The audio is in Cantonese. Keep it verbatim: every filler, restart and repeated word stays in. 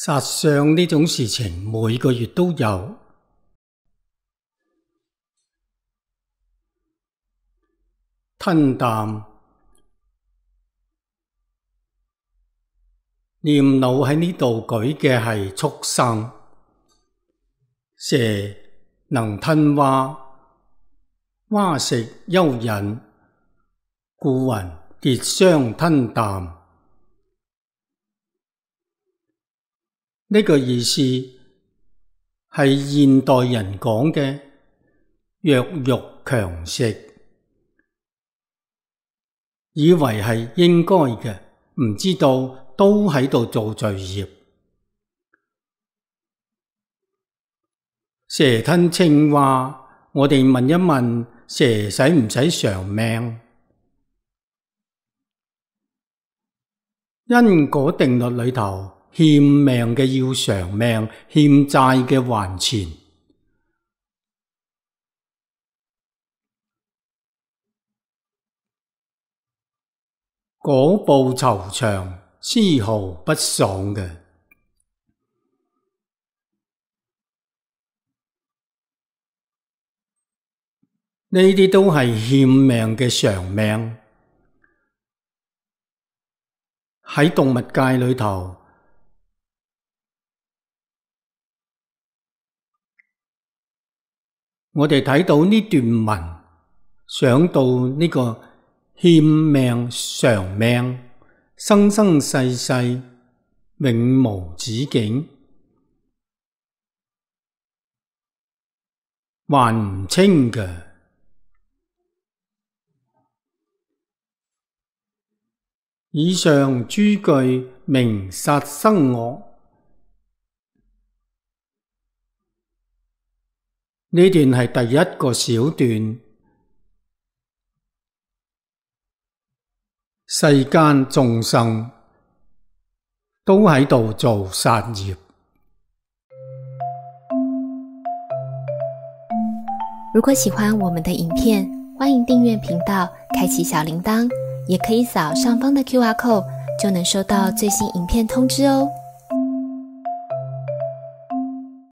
殺相呢種事情每個月都有。吞啖，念腦喺呢度舉嘅係畜生，蛇能吞蛙，蛙食蚯蚓，故云結相吞啖。呢個意思係現代人講嘅弱肉強食，以為係應該嘅，唔知道都喺度做罪業。蛇吞青蛙，我哋問一問，蛇使唔使償命？因果定律裏頭，欠命嘅要償命，欠債嘅還錢。果報酬償，絲毫不爽嘅。呢啲都係欠命嘅償命。喺動物界裏頭，我哋睇到呢段文，想到呢個欠命償命，生生世世永無止境，還唔清嘅。以上諸句明殺生惡。呢段係第一個小段。世間眾生都喺度做殺業。如果喜歡我們的影片，歡迎訂閱頻道，開啟小鈴鐺，也可以掃上方的 Q R code，就能收到最新影片通知哦。